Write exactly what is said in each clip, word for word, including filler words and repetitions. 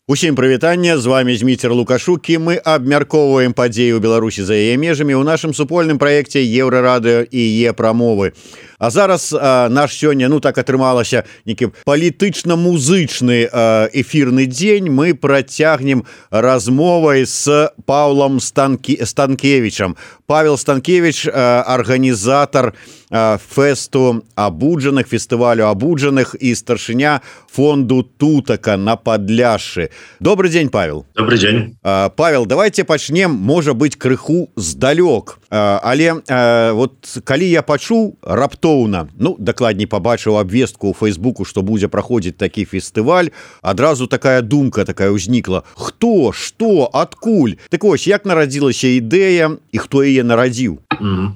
Усім прывітанне, з вами Зміцер Лукашук, і мы абмяркоўваем падзеі ў Беларусі за яе межамі ў нашым супольным праекце Еўрарадыё і Е-прамовы. А зараз а, наш сёння, ну так атрымалася, некі палітычна-музычны а, эфірны дзень. Мы працягнем размовай з Паўлам Станкі... Станкевічам. Павел Станкевич, а, арганізатар а, фэсту абуджаных, фестывалю абуджаных і старшыня фонду Тутака на Падляшшы. Добрый дзень, Павел. Добрый дзень. А, Павел, давайте пачнем, можа быць, крыху здалёк. А, але а, вот калі я пачуў раптоўна, ну, дакладней пабачыў абвестку ў Фейсбуку, што будзе праходзіць такі фестываль, адразу такая думка такая ўзнікла. Хто, што, адкуль? Так вось, як нарадзілася ідэя і хто яе нарадзіў? Mm.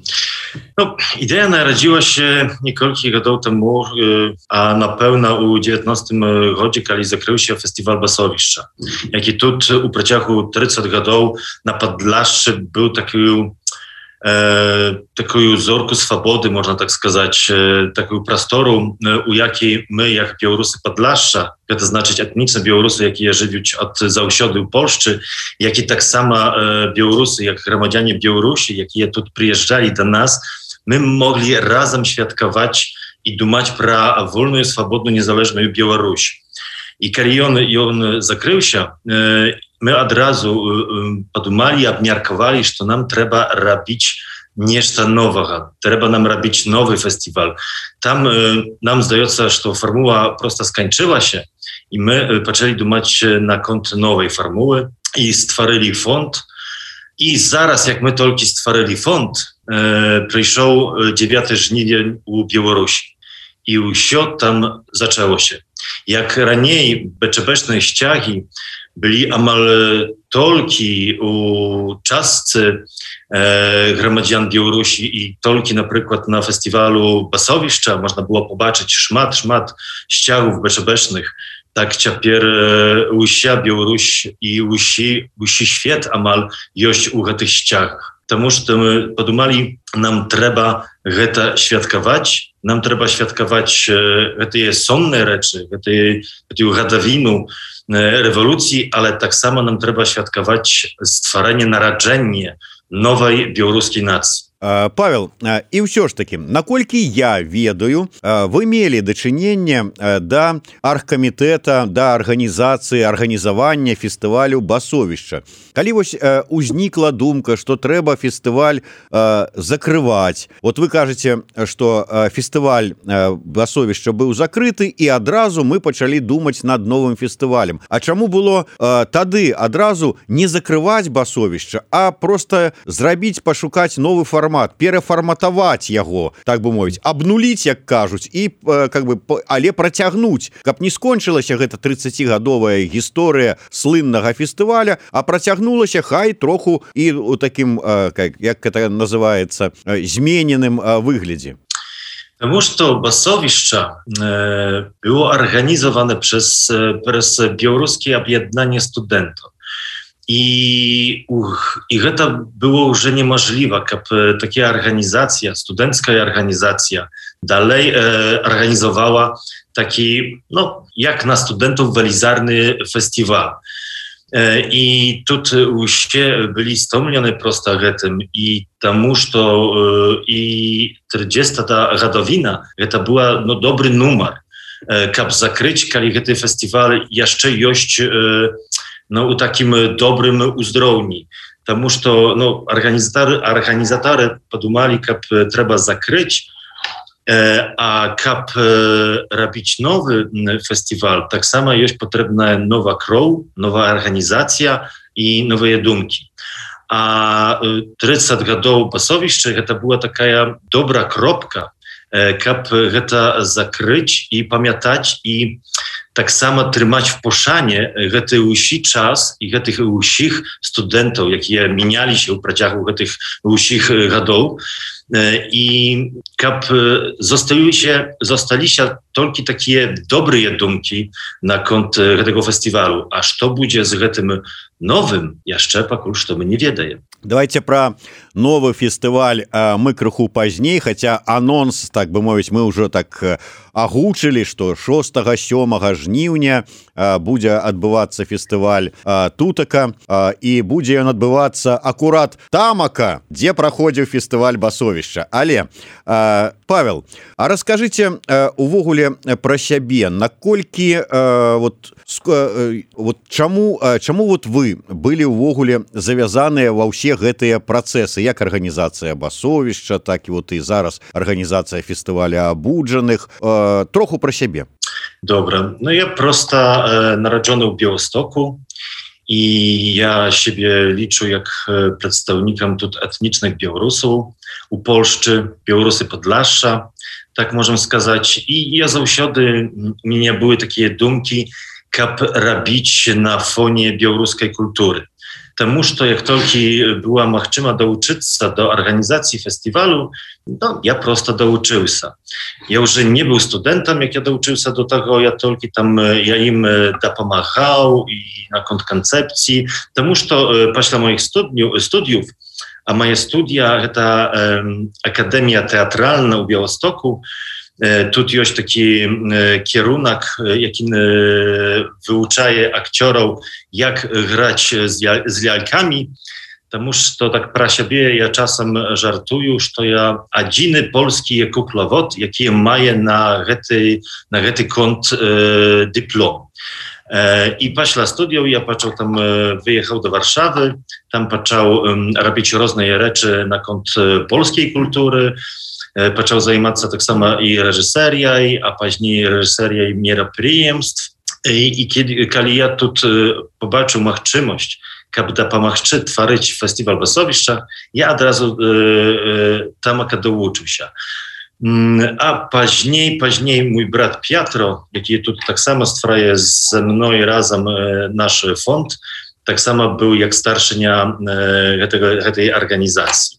No, idea narodziła się niekoľkich gadów temu, a na pewno u dziewiętnastym roku, kiedy zakrył się festiwal Basowiszcza. Jaki tu u przeciągu trzydziestu gadów na Podlaszczy był taki e, taką zorku swobody, można tak сказать, e, taką prostoru, e, u jakiej my, jak Białorusy Podlaszcza, to znaczy etniczne Białorusy, jakie żywią od zausiody w Polsce, jak i tak samo e, Białorusy, jak gromadzianie Białorusi, jakie tu przyjeżdżali do nas, my mogli razem świadkować i dumać про wolną, swobodną, niezależną Białoruś. I kiedy on, on zakrył się, my od razu podumali, obmiarkowali, że nam trzeba robić nieszta nowego. Trzeba nam robić nowy festiwal. Tam nam zdaje się, że formuła prosto skończyła się i my zaczęli dumać na kont nowej formuły i stworzyli fond. I zaraz, jak my tylko stworzyli fond, e, przyszło dziewiąty żniwień u Białorusi. I wszystko tam zaczęło się. Jak raniej beczebeczne ściagi byli amal tolki u czascy e, gromadzian Białorusi i tolki na przykład na festiwalu Basowiszcza można było pobaczyć szmat, szmat ściagów beczebecznych. Tak ciapier usia Białoruś i usi, usi świat amal jość u tych ściach. Тому że my podumali, nam trzeba geta świadkować, nam trzeba świadkować te sonne rzeczy, tę gadawinu rewolucji, ale tak samo nam trzeba świadkować stworzenie, narodzenie nowej białoruskiej nacji. Павел, і ўсё ж такі, наколькі я ведаю, вы мелі дачыненне да аргкамітэта, да арганізацыі, арганізавання фестывалю Басовішча. Калі вось узнікла думка, што трэба фестываль закрываць, вот вы кажаце, што фестываль Басовішча быў закрыты, і адразу мы пачалі думаць над новым фестывалем. А чаму было тады адразу не закрываць Басовішча, а проста зрабіць, пашукаць новы фармат, перафарматаваць яго, так бы мовіць, абнуліць, як кажуць, і как бы, але працягнуць, каб не скончылася гэта трыццацігадовая гісторыя слыннага фестываля, а працягнулася хай троху і у такім, як это называецца, змененым выглядзе. Потому что Basowiszcza e, było organizowane przez, przez białoruskie objednanie studentów. I, uch, I to było już niemożliwe, żeby taka organizacja, studencka organizacja dalej e, organizowała taki, no, jak na studentów welizarny festiwal. E, I tutaj już byli stomleni prosto tym i тому, że e, i trzydziesta gadowina, to była no, dobry numer, e, żeby zakryć, kiedy ten festiwal jeszcze jest e, no, u takim dobrym uzdrowieniu. Потому что no, organizatory, organizatory podumali, że trzeba zakryć, e, a kap e, robić nowy festiwal, tak samo jest potrzebna nowa krew, nowa organizacja i nowe dumki. A trzydzieści lat Basowiszcza to była taka dobra kropka, żeby to zakryć i pamiętać i tak samo trzymać w poszanie ten usi czas i tych usich studentów, jakie minęli się w przeciągu tych usich lat. I kap zostali się, zostali się tylko takie dobre dumki na kont tego festiwalu. A co będzie z tym nowym, jeszcze пока что мы не ведаем. Давайте про новый фестываль а, мы крыху пазней, хотя анонс, так бы мовіць, мы уже так агучылі, што шостага-сёмага жніўня будзе адбывацца фестываль тутака, і будзе ён адбывацца акурат тамака, дзе праходзіў фестываль Басовішча. Але, Павел, а раскажыце увогуле пра сябе, наколькі вот, вот чаму, чаму вот вы былі ўвогуле завязаныя ва ўсе гэтыя працэсы, як арганізацыя Басовішча, так і вот і зараз арганізацыя фестываля Абуджаных. Троху пра сябе. Добра. Ну, я просто e, narodzony w Białostoku i ja siebie liczę jak przedstawnikiem тут etnicznych Białorusów, u Polszczy, Białorusy Podlasza, tak możemy сказать. I ja zawsiody, u mnie były takie dumki, jak robić na fonie białoruskiej kultury. Тому что jak только była możliwość douczyć się do organizacji festiwalu, no, ja prosto douczyłся. Ja już nie był studentem, jak ja douczyłся do tego, ja tylko tam, ja im dopomagał i na kont koncepcji, тому что после moich studiów, studiów, a moje studia to um, Akademia Teatralna u Białostoku, тут jest taki kierunek, jaki wyuczaje aktorów, jak grać z lalkami. Потому что так про siebie ja czasem żartuję, że ja jedyny polski kuklowod, jaki maje na гэты na гэты kont e, dyplom. E, I после studiów ja zaczął tam wyjechał do Warszawy, tam zaczął um, robić różne rzeczy na kont polskiej kultury. Zaczął zajmować się tak samo i reżyserią, a później reżyserią мероприемств. I, i kiedy, kiedy ja tu zobaczył możliwość, aby dopomagać tworzyć festiwal Basowiszcza, ja od razu e, e, tam douczył się. A później, później mój brat Pietro, jaki tu tak samo stwarza ze mną razem e, nasz fond, tak samo był jak starszynia e, tego, tej organizacji.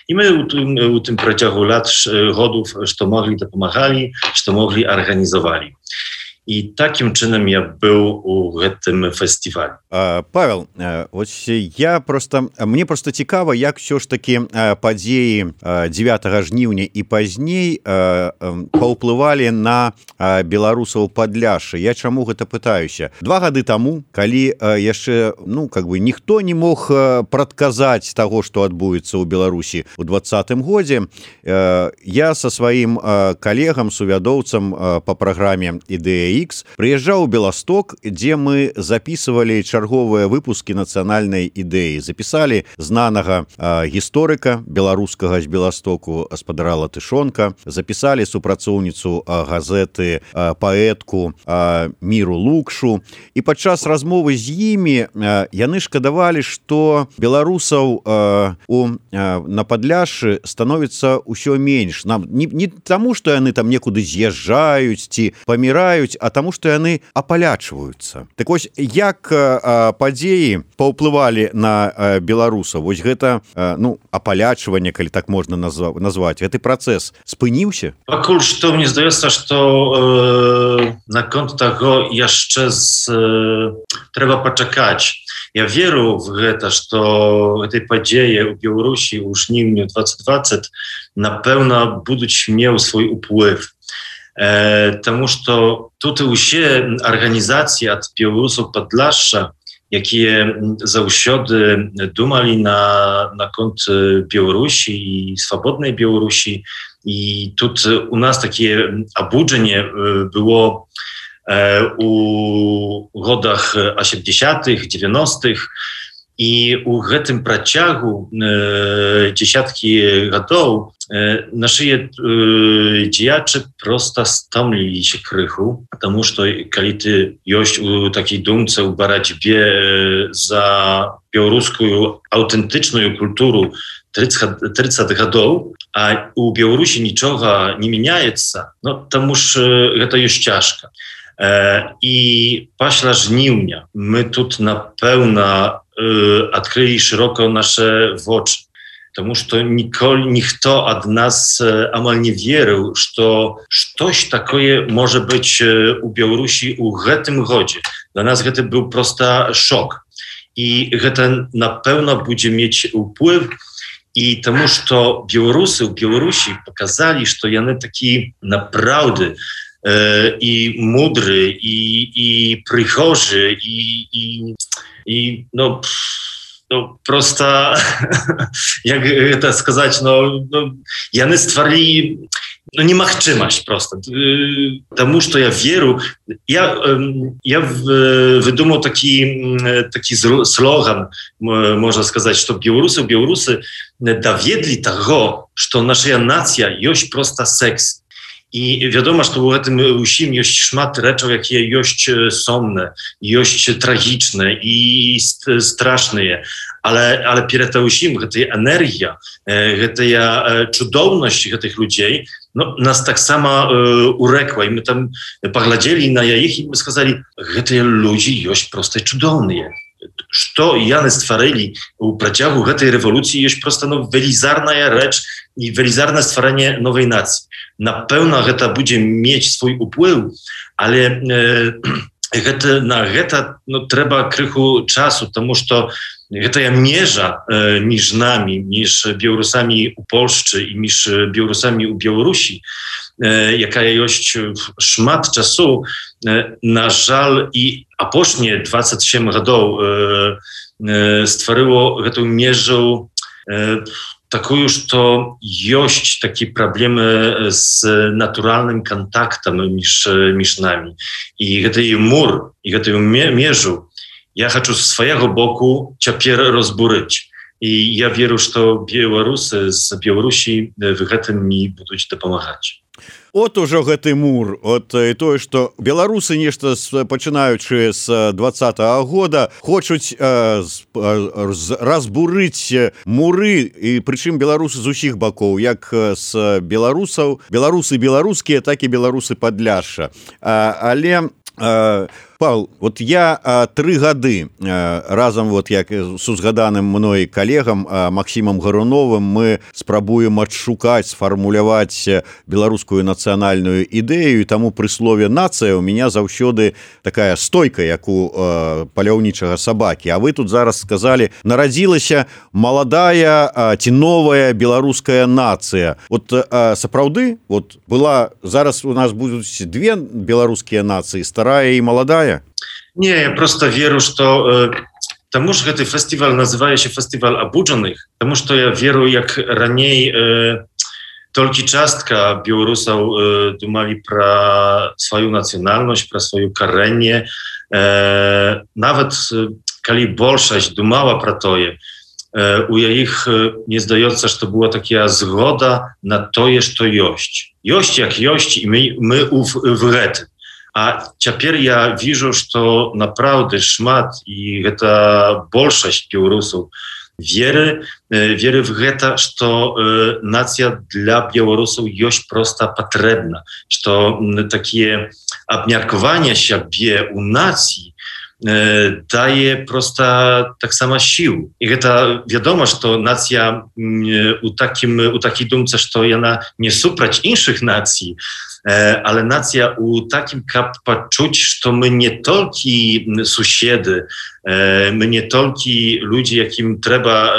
I my u tym, u tym przeciągu lat, godów, że mogli dopomagali, że mogli organizowali. I takim czynem ja był u tym festiwalu. Павел, ось я просто, мне просто цікава, як все ж таки падзеі дзевятага жніўня і пазней паўплывалі на беларусаў Падляшша. Я чаму гэта пытаюся? Два гады таму, калі яшчэ, ну, как бы ніхто не мог прадказаць таго, што адбудзецца ў Беларусі ў двадцатым годзе, я са сваім калегам, сувядоўцам па праграме «Ідэя Х» прыязджаў у Беласток, дзе мы записывалі чарговыя выпускі нацыянальнай ідэі. Запісалі знанага а, гісторыка беларускага з Беластоку спадара Латышонка, запісалі супрацоўніцу а, газеты а, паэтку а, Міру Лукшу. І падчас размовы з імі а, яны шкадавалі, што беларусаў а, у, а, на Падляшшы становіцца ўсё менш. Нам, не, не таму, што яны там некуды з'язджаюць ці паміраюць, а таму, што яны апалячваюцца. Так вось, як а, падзеі паўплывалі на а, беларусаў? Вось гэта, а, ну, апалячванне, калі так можна назва, назваць, гэты працэс спыніўся? Пакуль што мне здаецца, што э, наконт таго яшчэ з, э, трэба пачакаць. Я веру в гэта, што гэтай падзеі ў Беларусі ў жніўню двадцать двадцать напэўна будуць меў свой уплыв. E, тому что тут усе организации от белорусов Подляшша, jakie zawsiody dumali na, na kont Białorusi i swobodnej Białorusi. I tu u nas takie obudzenie było e, u godach osiemdziesiątych, dziewięćdziesiątych. I u tym przeciągu e, dziesiątki latów e, nasi e, działacze prosto stomlili się krychu, потому что kiedy ty jest u takiej dumce, u baraćbie e, za białoruską autentyczną kulturę trzydzieści latów, a u Białorusi niczego nie zmieniaється, no потому что to jest ciężko. E, I paśla żniwnia, my tu na pełna e, odkryli szeroko nasze oczy. Потому что никто od nas e, amal nie wierzył, że coś takiego może być e, u Białorusi u tym godzie. Dla nas to był prosta szok. I to na pewno będzie mieć wpływ. I тому, że Białorusy u Białorusi pokazali, że one taki naprawdę i mądry, i, i przychorzy, i, i, i no, no prosta, jak to сказать, no, no яны stwarili no немагчымасць просто, тому что я веру, я, я выдумал такі, такі слоган, можно сказать, что белорусы, белорусы доведли того, что наша нация есть просто секс. I wiadomo, że w tym усім jest szmat rzeczy, jakie jest somne, jest tragiczne i straszne, ale, ale przed tym усім, ta energia, ta cudowność tych ludzi, no, nas tak samo uh, urekła i my tam poglądali na ich i my сказали, że te ludzie jest prosto cudowne. Что яны stworzyli u przeciągu tej rewolucji jest prosto no, велизарna rzecz i велизарne stworzenie nowej nacji. Na pewno to będzie mieć swój wpływ, ale e, to, na to no, trzeba krychu czasu, потому что ta mierza e, między nami, między Białorusami u Polski i między Białorusami u Białorusi, e, jaka jest szmat czasu, e, na żal i a później dwadzieścia siedem lat e, e, stworzyło tę mierzę e, taką, że to jest takie problemy z naturalnym kontaktem między, między nami. I ten mur, i tę mierzę ja chcę z swojego boku teraz rozburzyć. I ja wierzę, że Białorusy z Białorusi w tym mi będą pomagać. От ужо гэты мур, от і тое, што беларусы нешта пачынаючы з двадцатага года хочуць э, разбурыць муры, і прычым беларусы з усіх бакоў, як з беларусаў, беларусы беларускія, так і беларусы Падляшша. А, але э, Павел, вот я а, три гады а, разом вот як с узгаданым мной коллегам а, Максимом Гаруновым мы спрабуем адшукаць, сфармуляваць беларускую нацыянальную ідэю, і таму пры слове нацыя у меня заўсёды такая стойка, як у а, паляўнічага сабакі. А вы тут зараз сказали, нарадзілася маладая а, ці новая беларуская нацыя. Вот а, сапраўды, вот была зараз у нас будуць две беларускія нацыі, старая і маладая. Nie, ja prosto wierzę, że e, тому że ten festiwal nazywa się Festiwal Obudzonych, тому że ja wierzę, jak raniej e, tylko czastka Białorusów e, dumali про swoją nacjonalność, про swoją karenie, e, nawet e, kiedy większość dumała pro to, e, u ich e, nie zdaje się, że to była taka zgoda na to, że to jest. Jest jak jest i my, my w, w rety. A teraz ja widzę, że to naprawdę szmat i ta większość Białorusów wierzy, wierzy w to, że to nacja dla Białorusów jest prosta potrzebna, że to takie obmiarkowanie siebie u nacji daje prosta tak sama sił. I to wiadomo, że to nacja u takim, u takiej dumce, że to ona nie suprać innych nacji, ale nacja u takim kap poczuć, że my nie tylko sąsiedy, my nie tylko ludzie, jakim trzeba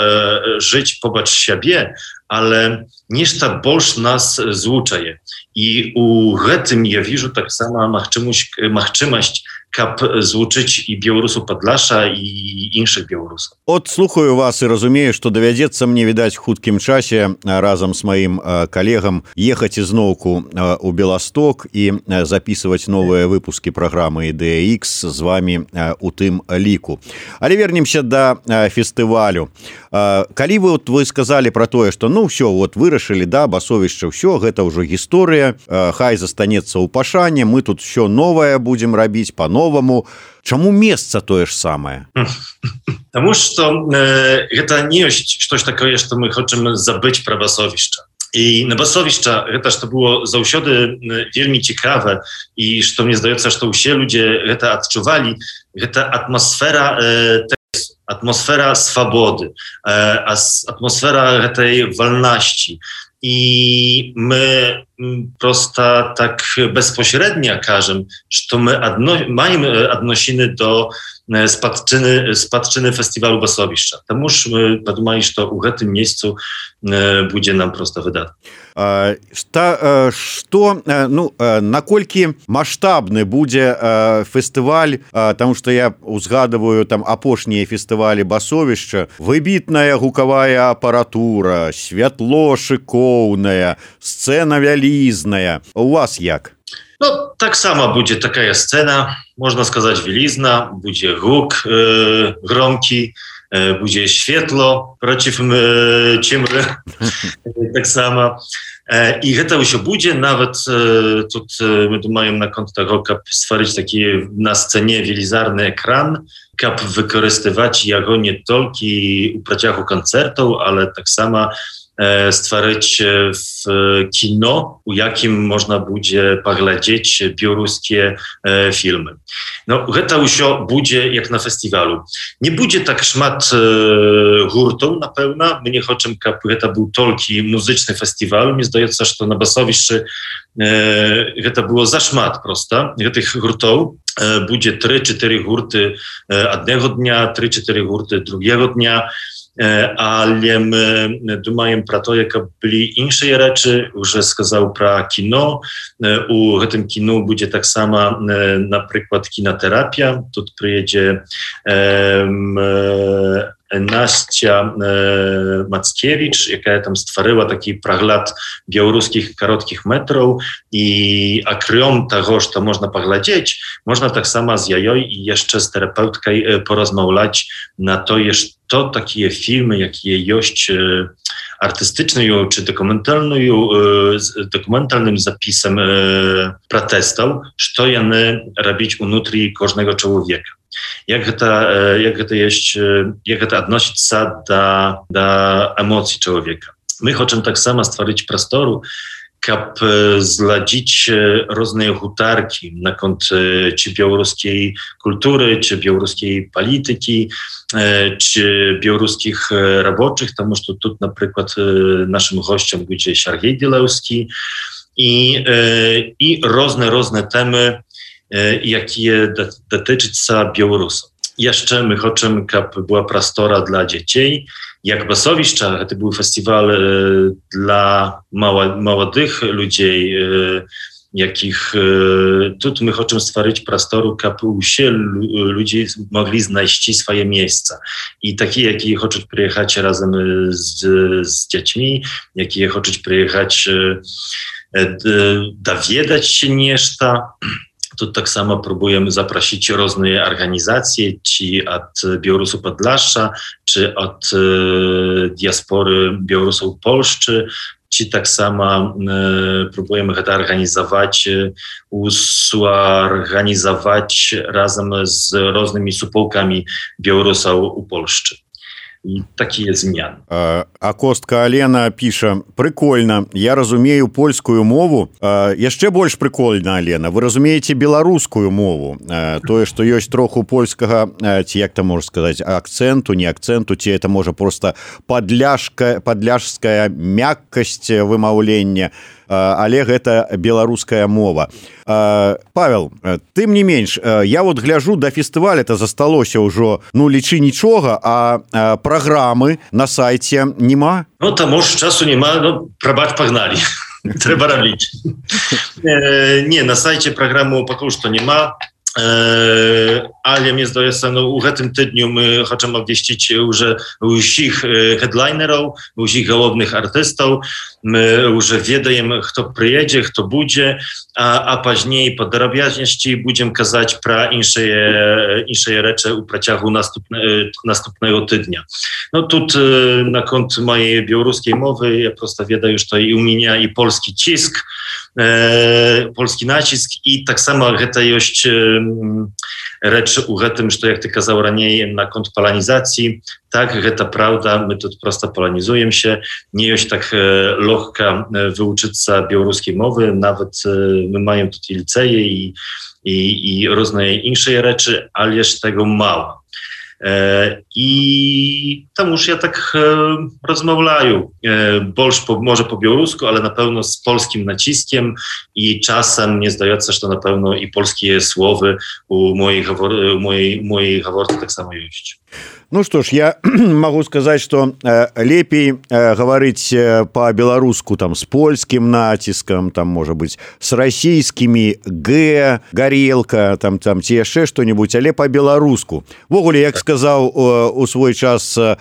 żyć pobacz siebie, ale nieszta больше nas złączaje. I u tym ja widzę tak samo machczymość kap złączyć i Białorusów Podlasza i innych Białorusów. От слухаю вас і разумею, што давядзецца мне, відаць, хуткім часе разам з маім калегам ехаць ізноўку у Беласток і записываць новыя выпускі праграмы «Ідэя Ікс» з вами у тым ліку. Але вернемся да фестывалю. Калі вы, вот, вы сказали про тое, што ну ўсё, вот вырашылі, да, басовішча, ўсё, гэта ўжо гісторыя, хай застанецца ў пашане, мы тут ўсё новае будзем рабіць па-новаму. Чаму месца тое ж самае? Тому что e, это не есть что-то такое, что мы хотим забыть про басовище. I na basowiszcza, to, że to było zawsze wielmi ciekawe i że mnie zdaje się, że wszyscy ludzie to odczuwali, to atmosfera tekstu, atmosfera swobody, atmosfera tej wolności. I my prosto tak bezpośrednio każemy, że my odno- mamy odnosiny do спадczyny, спадczyny фестивалю Басовішча. Таму ж мы падумалі, што ў гэтым месяцу будзе нам проста выдатна. Што, ну, наколькі маштабны будзе фестываль, таму што я узгадываю там апошнія фестывалі Басовішча, выбітная гукавая апаратура, святло шыкоўная, сцэна вялізная. У вас як? No, tak samo będzie taka scena, można сказать, wielizna, będzie huk e, gromki, e, będzie światło przeciw e, ciemry, tak samo. E, I to już będzie, nawet e, tu e, my думаем na kont tego, jak stworzyć taki na scenie wielizarny ekran, jak wykorzystywać jego nie tylko u praciachu koncertów, ale tak samo stworzyć w kino, u jakim można będzie poglądać białoruskie filmy. No, to już będzie jak na festiwalu. Nie będzie tak szmat hurtów na pewno. My nie chcemy, żeby to był tylko muzyczny festiwal. Mi zdaje się, że na Basowiszczy to było za szmat prosto. Tych hurtów będzie trzy cztery hurty jednego dnia, trzy cztery hurty drugiego dnia. Ale my думаем про to, jak byli inne rzeczy, już сказał про kino. U tym kinu będzie tak samo na przykład kinoterapia. Tu przyjedzie um, Nastia e, Mackiewicz, jaka tam stworzyła taki pregląd białoruskich krótkich metrów i akrom tego, że to można poglądać, można tak samo z jajoj i jeszcze z terapeutką e, porozmawiać na to, że to takie filmy, jakie jest e, artystyczną czy dokumentalną, e, z dokumentalnym zapisem e, protestów, co one robić unutri każdego człowieka. Jak to, jak to jest, jak to odnosić się do, do emocji człowieka. My chcemy tak samo stworzyć prostoru, żeby zladzić różne hutarki na kont czy białoruskiej kultury, czy białoruskiej polityki, czy białoruskich roboczych, тому że tu na przykład naszym gościem będzie Sergiej Dilewski i, i różne, różne temy, jakie dotyczyć się Białorusów. Jeszcze my chcemy, żeby była prostora dla dzieci. Jak Basowiszcza, to był festiwal e, dla mała, młodych ludzi, e, jakich e, tu my chcemy stworzyć prostoru, żeby się ludzie mogli znaleźć swoje miejsca. I takie, jakie chcą przyjechać razem z, z dziećmi, jakie chcą przyjechać e, dowiedzieć się nieszta. Tu tak samo próbujemy zaprosić różne organizacje, czy od Białorusu Podlasza, czy od e, diaspory Białorusów Polszczy, czy tak samo e, próbujemy to organizować, e, usorganizować razem z różnymi supołkami Białorusów u Polszczy. І такія змены. А, а Костка Алена піша: прикольна, я разумею польскую мову. А, яшчэ больш прикольна, Алена, вы разумееце беларускую мову. А, тое, што ёсць троху польскага, ці як там можна сказаць, акцэнту, не акцэнту, ці это можа проста падляшка, падляшская мяккасць вымаўлення, але гэта беларуская мова. Павел, тым не менш, я вот гляжу, да фестываля-то засталося ўжо, ну, лічы нічога, а праграмы на сайце нема? Ну, таму ж часу нема, ну, прабач, пагналі. Трэба рабіць. Не, на сайце праграму пакуль што нема. Ale mnie zdaje się, no, w tym tygodniu my chcemy obwieścić już wszystkich headlinerów, wszystkich głównych artystów. My już wiemy, kto przyjedzie, kto będzie, a, a później po drobiazności będziemy kazać про inne rzeczy u przeciągu następne, następnego tygodnia. No тут na kont mojej białoruskiej mowy ja prosto wiem już to i u mnie i polski cisk, e, polski nacisk i tak samo to jest rzecz u tym, że jak ty kazał raniej na kont polonizacji, tak, to prawda, my tu prosto polonizujemy się, nie jest tak e, lekko wyuczyć się białoruskiej mowy, nawet e, my mamy tutaj liceje i, i, i różne inne rzeczy, ale jest tego mało. i tam już ja tak rozmawiam больше po, może po białorusku, ale na pewno z polskim naciskiem i czasem nie zdaje się, że na pewno i polskie słowy u mojej, u mojej, mojej gaworki так само есть. Ну что ж, я могу сказать, что э, лепей э, говорить э, по-белоруску там с польским натиском, там, может быть, с российскими Г, горелка, там, там, те яшчэ что-нибудь, але по-белоруску. Вогуле, як сказал э, у свой час э,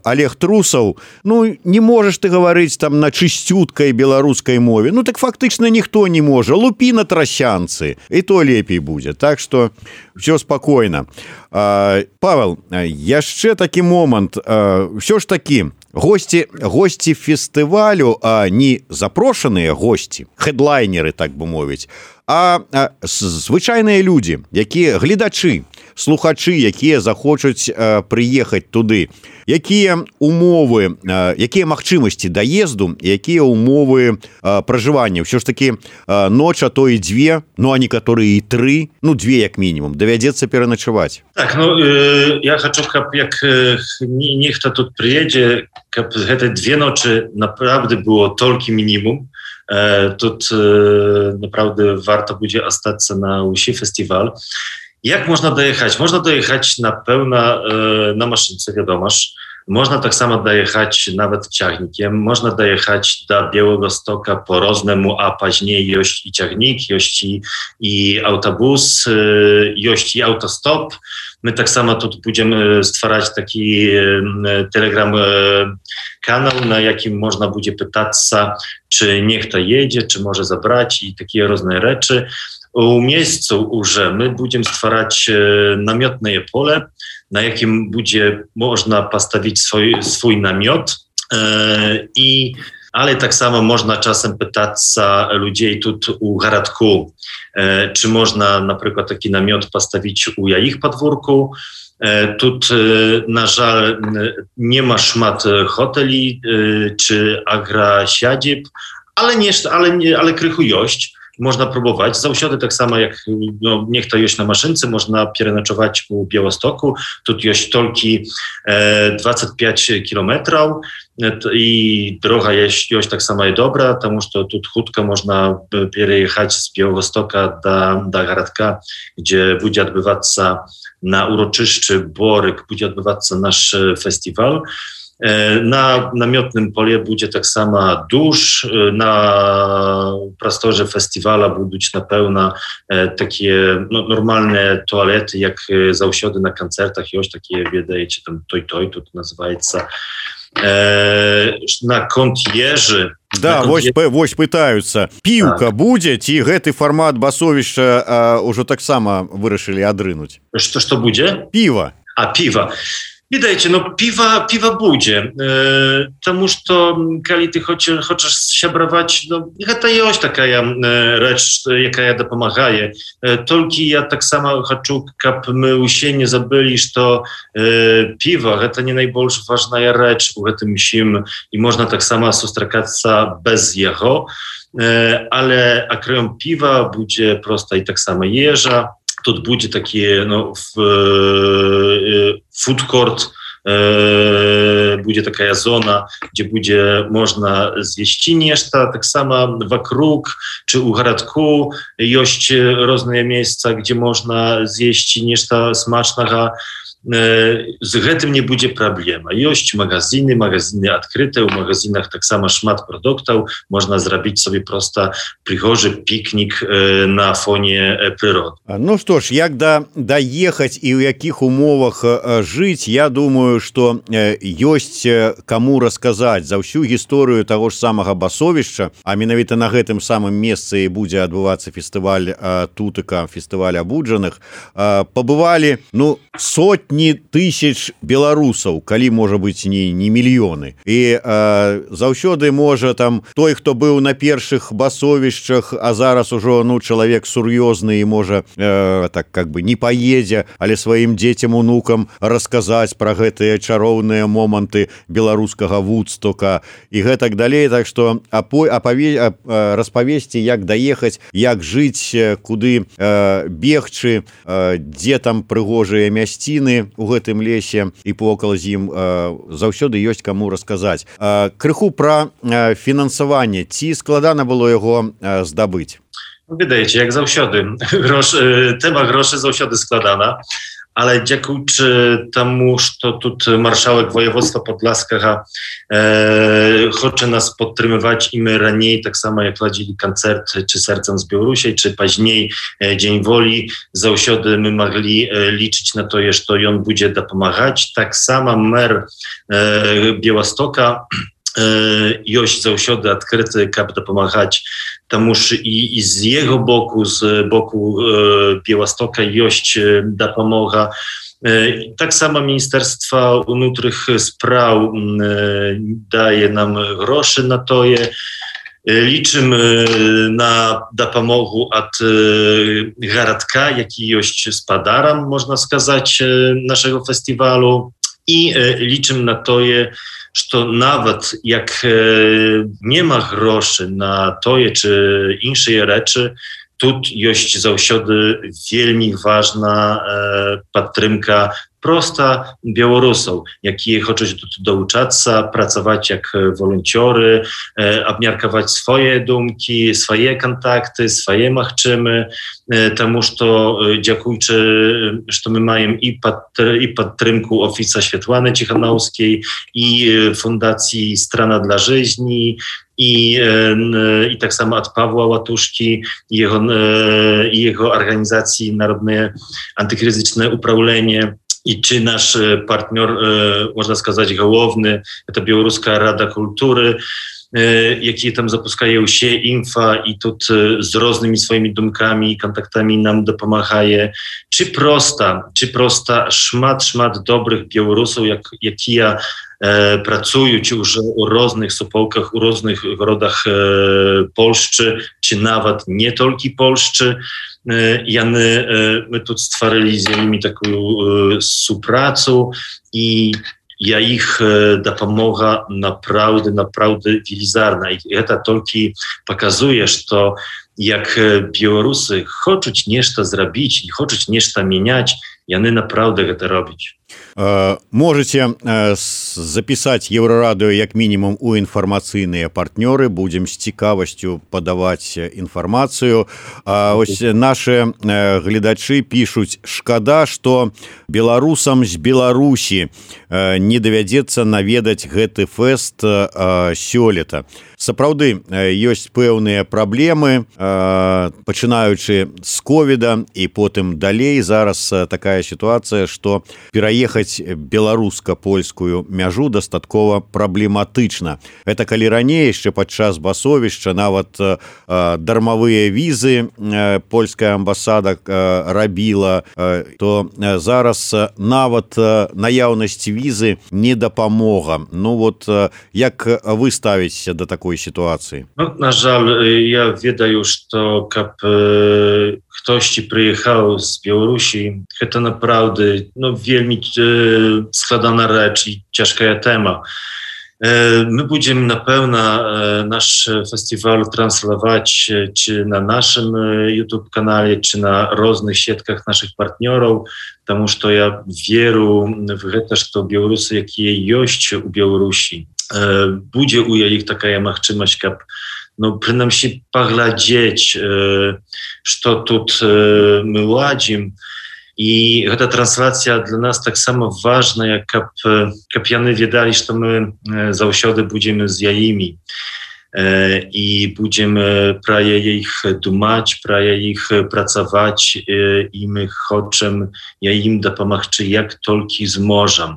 Олег Трусов, ну, не можешь ты говорить там на чистюткой белорусской мове. Ну, так фактично никто не может. Лупи на тросянцы, и то лепей будет. Так что все спокойно. Э, Павел, яшчэ такі момант, ўсё ж такі госці госці фестывалю, а не запрошаныя госці, хэдлайнеры, так бы мовіць, а звычайныя людзі, якія гледачы, слухачы, якія захочуць прыехаць туды. Якія умовы, якія магчымасці даезду, якія умовы пражывання? Ўсё ж такі ноч, а то і дзве, ну а некаторыя і тры, ну две як мінімум, давядзецца пераначаваць. Так, ну э, я хочу, каб як э, нехта тут приедзе, каб гэта две ночы naprawdę było толькі мінімум. Э, тут э, naprawdę warto будзе астацца на ўсі фестываль. Jak można dojechać? Można dojechać na pełna e, na maszynce, wiadomo. Można tak samo dojechać nawet ciągnikiem. Można dojechać do Białegostoka po roznemu, a później jość i ciągnik, jość i, i autobus, e, jość i autostop. My tak samo tu będziemy stwarzać taki e, telegram e, kanał, na jakim można będzie pytać, czy niech to jedzie, czy może zabrać i takie różne rzeczy. U miejscu уже my będziemy stwarzać e, namiotne pole, na jakim będzie można postawić swój, swój namiot, e, i, ale tak samo można czasem pytać ludzi tu u Garadku, e, czy można na przykład taki namiot postawić u ich podwórku. E, tu e, na żal nie ma szmat hoteli e, czy agrasiadzib, ale, nie, ale, nie, ale krychu jość. Można próbować. Zawsze tak samo jak no, niech to jest na maszynce, można pierenaczować u Białostoku. Tu jest tylko e, dwadzieścia pięć kilometrów e, i droga jest, jest tak samo i dobra, потому что тут chutko można przejechać z Białostoka do, do Garadka, gdzie będzie odbywać się na uroczyszczy Boryk, będzie odbywać się nasz festiwal. Na namiotnym pole będzie tak samo dusz, na prostorze festiwala będą na pełna takie no, normalne toalety, jak zawsze na koncertach, już takie, wiedajcie, tam toj toj, to nazywaється. На конт'ежы. Да, вось, вось пытаюцца. Піўка так. Будзе, ці гэты фармат басовішча ўжо таксама вырашылі адрынуць? Што, што будзе? Піва. А, піва. Widajcie, no piwa, piwa będzie, e, тому что kiedy ty chcesz, chcesz siabrować, no to jest taka e, rzecz, jaka ja dopomagaje. E, tylko ja tak samo chcę, kab my się nie zabili, że to e, piwo to nie najbardziej ważna rzecz u tym musimy i można tak samo sustrzegać bez jego, e, ale akreum piwa będzie prosta i tak samo jeża. Тут będzie takie no, w, e, food court, e, będzie taka zona, gdzie będzie można zjeść nieszta, tak samo wokóg czy u Garadku jest różne miejsca, gdzie można zjeść nieszta smacznego. Z tym nie będzie problemu. Jest magazyny, magazyny odkryte, w magazynach tak samo szmat produktów, można zrobić sobie prosto przygorzy piknik na fonie przyrody. Ну что ж, як да даехаць і ў якіх умовах жыць, я думаю, што ёсць каму расказаць за ўсю гісторыю таго ж самага басовішча, а менавіта на гэтым самым месцы будзе адбывацца фестываль тутыка, фестываль абуджаных. Пабывалі, ну, сотні тысяч беларусаў, калі, можа быць, не, не мільёны. І заўсёды можа там той, хто быў на першых басовішчах, а зараз ужо, ну, чалавек сур'ёзны і можа э, так как бы не поедзе, але сваім дзецям, унукам расказаць пра гэтыя чароўныя моманты беларускага Вудстока і гэтак далей. Так што апаве... распавесці, як даехаць, як жыць, куды э, бегчы, э, дзе там прыгожыя мясціны, жыве у гэтым лесе і повакал з ім заўсёды ёсць каму расказаць. Крыху пра фінансаванне, ці складана было яго здабыць? Wydaje jak zаўсёды. Grosz, tema groszy zаўсёdy składana, ale dziękuję temu, że тут marszałek województwa podlaskiego e, chce nas podtrzymywać i my raniej, tak samo jak ladzili koncert, czy Sercem z Białorusi, czy później e, Dzień Woli, zаўсёdy my mogli e, liczyć na to, że on będzie dopomagać. Tak samo mer e, Białostoka Jość zаўсёды odkryty, kap dopomagać тому ж i, i z jego boku, z boku e, Białostoka Jość e, dopomога. E, tak samo Ministerstwo Wnutrych Spraw e, daje nam groszy na to je. E, liczymy na dopomogę od e, Garadka, jaki Jość z Padaram, można сказать, e, naszego festiwalu i e, liczymy na to je, że nawet jak e, nie ma groszy na toje czy inne rzeczy, tu jest zаўсёdy wielmi ważna e, podtrzymka prosta Białorusów, jakie chcą tu douczać, pracować jak wolontiory, e, obmiarkować swoje dumki, swoje kontakty, swoje machczymy, e, temu, że dziękując, że my mamy i, pod, i podtrzymku Ofica Światłany Cichanowskiej, i Fundacji Strana dla Żyzni, i, e, i tak samo od Pawła Łatuszki i jego, e, i jego organizacji Narodne Antykryzyczne Uprawienie. I czy nasz partner, e, można сказать, główny, to Białoruska Rada Kultury, e, jakie tam zapuszczają się info i tu e, z różnymi swoimi dumkami i kontaktami nam dopomagaje. Czy prosta, czy prosta szmat, szmat dobrych Białorusów, jak, jakie ja e, pracują już u różnych supołkach, u różnych rodach e, Polszczy, czy nawet nie tylko Polszczy. Jany, my tu stworzyli z nimi taką współpracę i ja ich dopomoga naprawdę, naprawdę wielizarna. I to tylko pokazuje, że jak Białorusy chcą coś zrobić i chcą coś zmieniać, jany naprawdę to robić. Можете запісаць Еўрарадыё як мінімум у інфармацыйныя партнёры, будзем з цікавасцю падаваць інфармацыю. Ось нашы гледачы пішуць: шкада, што беларусам з Беларусі не давядзецца наведаць гэты фэст сёлета. Сапраўды ёсць пэўныя праблемы, пачынаючы з ковіда і потым далей. Зараз такая сітуацыя, што пераехаць беларуска-польскую мяжу дастаткова праблематычна. Это калі раней яшчэ падчас басовішча нават дармавыя візы польская амбасада рабіла, то зараз нават наяўнасць візы не дапамога. Ну вот як вы ставіцеся да такой ситуации? Ну, на жаль, я ведаю, что как э, ktoś przyjechał z Białorusi, to naprawdę no, wielmi e, składana rzecz i ciężka tema. E, my będziemy na pewno e, nasz festiwal translować e, czy na naszym e, YouTube kanale, czy na różnych siatkach naszych partnerów, потому что ja wierzę w to, że Białorusy, jakie jest u Białorusi, e, będzie u ich taka możliwość, jak no przynajmniej pogladzieć, e, co tu e, my ładzimy. I ta translacja dla nas tak samo ważna, jak kapiany wiedali, że my zаўсёды będziemy z jaimi e, i będziemy praje ich dumać, praje ich pracować e, i my chcemy im dopomagać jak tylko zmożemy.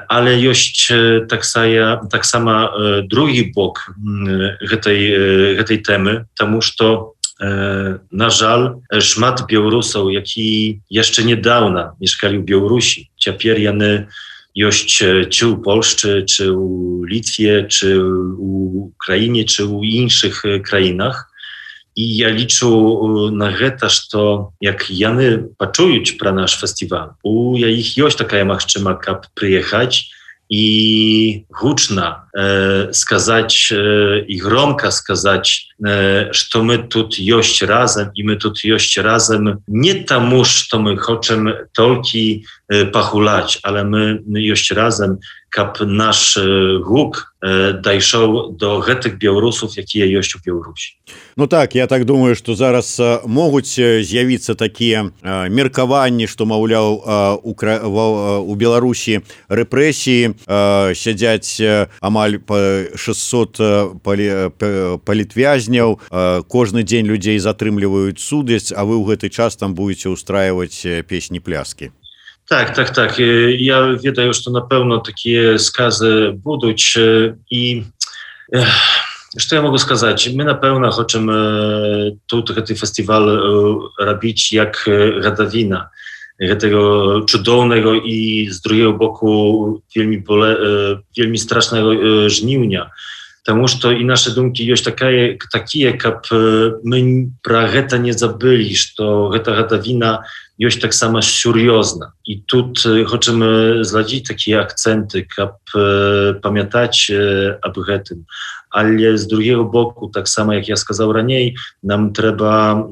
Ale jest tak, saja, tak sama drugi bok tej, tej temy, тому что na żal szmat Białorusów, jaki jeszcze niedawno mieszkali w Białorusi, teraz jany jest czy u Polsce, czy u Litwie, czy u Ukrainie, czy u innych krajach. I ja liczę na to, że jak jany poczują про nasz festiwal, u ich jest taka możliwość, jak przyjechać i głośno e, skazać e, i gromko skazać что мы тут есть разом, и мы тут есть разом не тому, что мы хотим только похулać, ale my есть разом, kap nasz гук дайшоў до гэтых беларусаў, якія ёсць у Беларусі. Ну так, я так думаю, што зараз могуць з'явіцца такія меркаванні, што, маўляў, у Беларусі рэпрэсіі, сядзяць амаль шэсцьсот палітвязняў, кожны дзень людзей затрымліваюць судзяць, а вы ў гэты час там будете устраиваць песні-пляскі. Так, так, так. Я ведаю, што, напэўна, такія сказы будуць. І што я могу сказаць? Мы, напэўна, хочам тут гэты фестываль рабіць як гадавіна гэтага цудоўнага і, з другого боку, вельмі, вельмі страшнага жніўня. Таму што і нашы думкі ёсць такая, такія, каб мы пра гэта не забылі, што гэта гадавіна ёсць таксама сур'ёзна. І тут хочам зладзіць такія акцэнты, каб памятаць аб гэтым. Але з другого боку, таксама, як я сказаў раней, нам трэба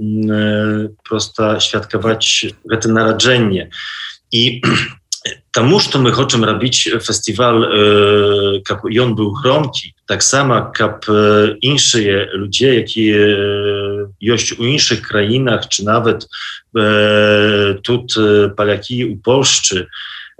проста святкаваць гэта нараджэнне. І таму, што мы хочам рабіць фестываль, каб ён быў громкі, таксама, каб іншыя людзі, якія ёсць у іншых краінах, чи нават тут палякі у Польшчы,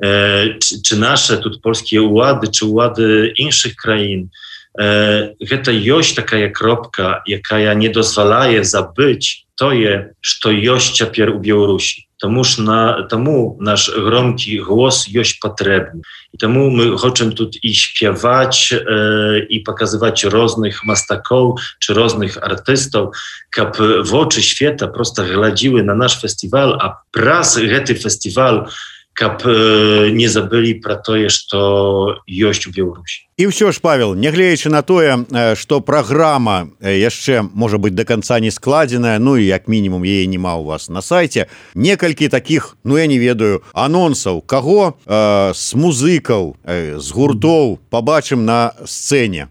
чи наsze тут польскія ўлады, чи ўлады іншых краін, гэта ёсць такая кропка, якая не дазваляе забыць тое, што ёсць цяпер у Беларусі. Таму ж на, таму наш громкі głos ёсць патрэбны. І таму мы хочам тут і śpiewać, e, і паказваць розных мастакоў, чи розных артыстаў, каб вочы света проста глядзілі на наш фестываль, а праз гэты фестываль каб э, не забылі пра тое, што ёсць у Беларусі. І ўсё ж, Павел, нягледзячы на тое, што праграма яшчэ, можа быць, до конца не складзеная, ну і як мінімум яе няма у вас на сайце, некалькі такіх, ну я не ведаю, анонсаў, каго э, з музыкаў, э, з гуртоў пабачым на сцэне?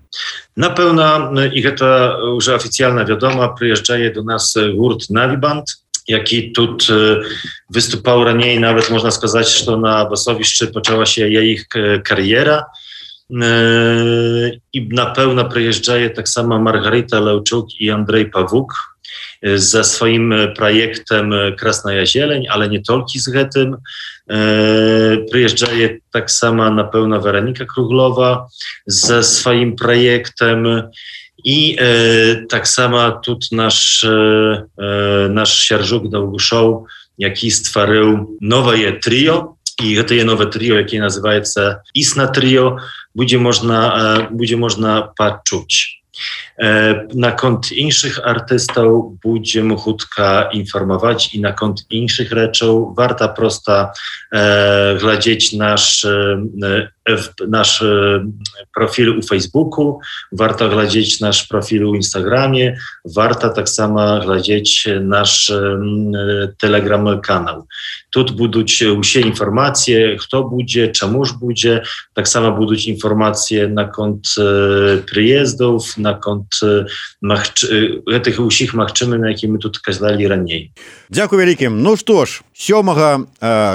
Напэўна, і гэта ўжо афіцыяльна вядома, прыязджае до нас гурт Навібанд, які тут e, wystupał raniej, nawet można сказать, что на басовішчы пачала się ich kariera. E, I na pełno przyjeżdżaje tak samo Margarita Leuczuk i Andrzej Pawuk e, ze swoim projektem Krasnaja Zieleń, ale nie tylko z tym. E, przyjeżdżaje tak samo na pełno Weronika Kruglowa ze swoim projektem. I e, tak samo тут наш, e, nasz Sierżuk Dałguszow, jaki stworzył nowe trio. I to nowe trio, jakie nazywa się Isna Trio, będzie można, e, będzie można poczuć. E, na kont innych artystów będziemy chutka informować i na kont innych rzeczów warto prosta e, glądać nasz, e, nasz e, profil u Facebooku, warto glądać nasz profil u Instagramie, warto tak samo glądać nasz e, Telegram kanał. Тут будуть усі інформації, хто буде, чому ж буде, так само будуть інформації на конт e, приїздів, на конт e, гэтых усіх магчымых, на які мы тут казалі раней. Дзякуй вялікім. Ну што ж, сёмага,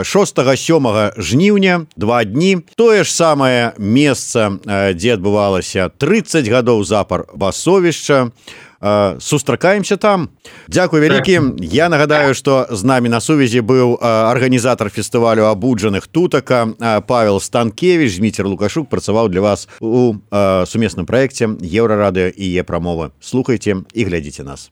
шостага сёмага жніўня, два дні, тое ж самае месца, дзе адбывалася трыццаць гадоў запар басовішча. Сустракаемся там. Дзякуй вялікі. Я нагадаю, што з намі на сувязі быў арганізатар фестывалю абуджаных тутака Павел Станкевич. Зміцер Лукашук працаваў для вас у сумесным праекце Еўрарадыё і Е-прамова. Слухайце і глядзіце нас.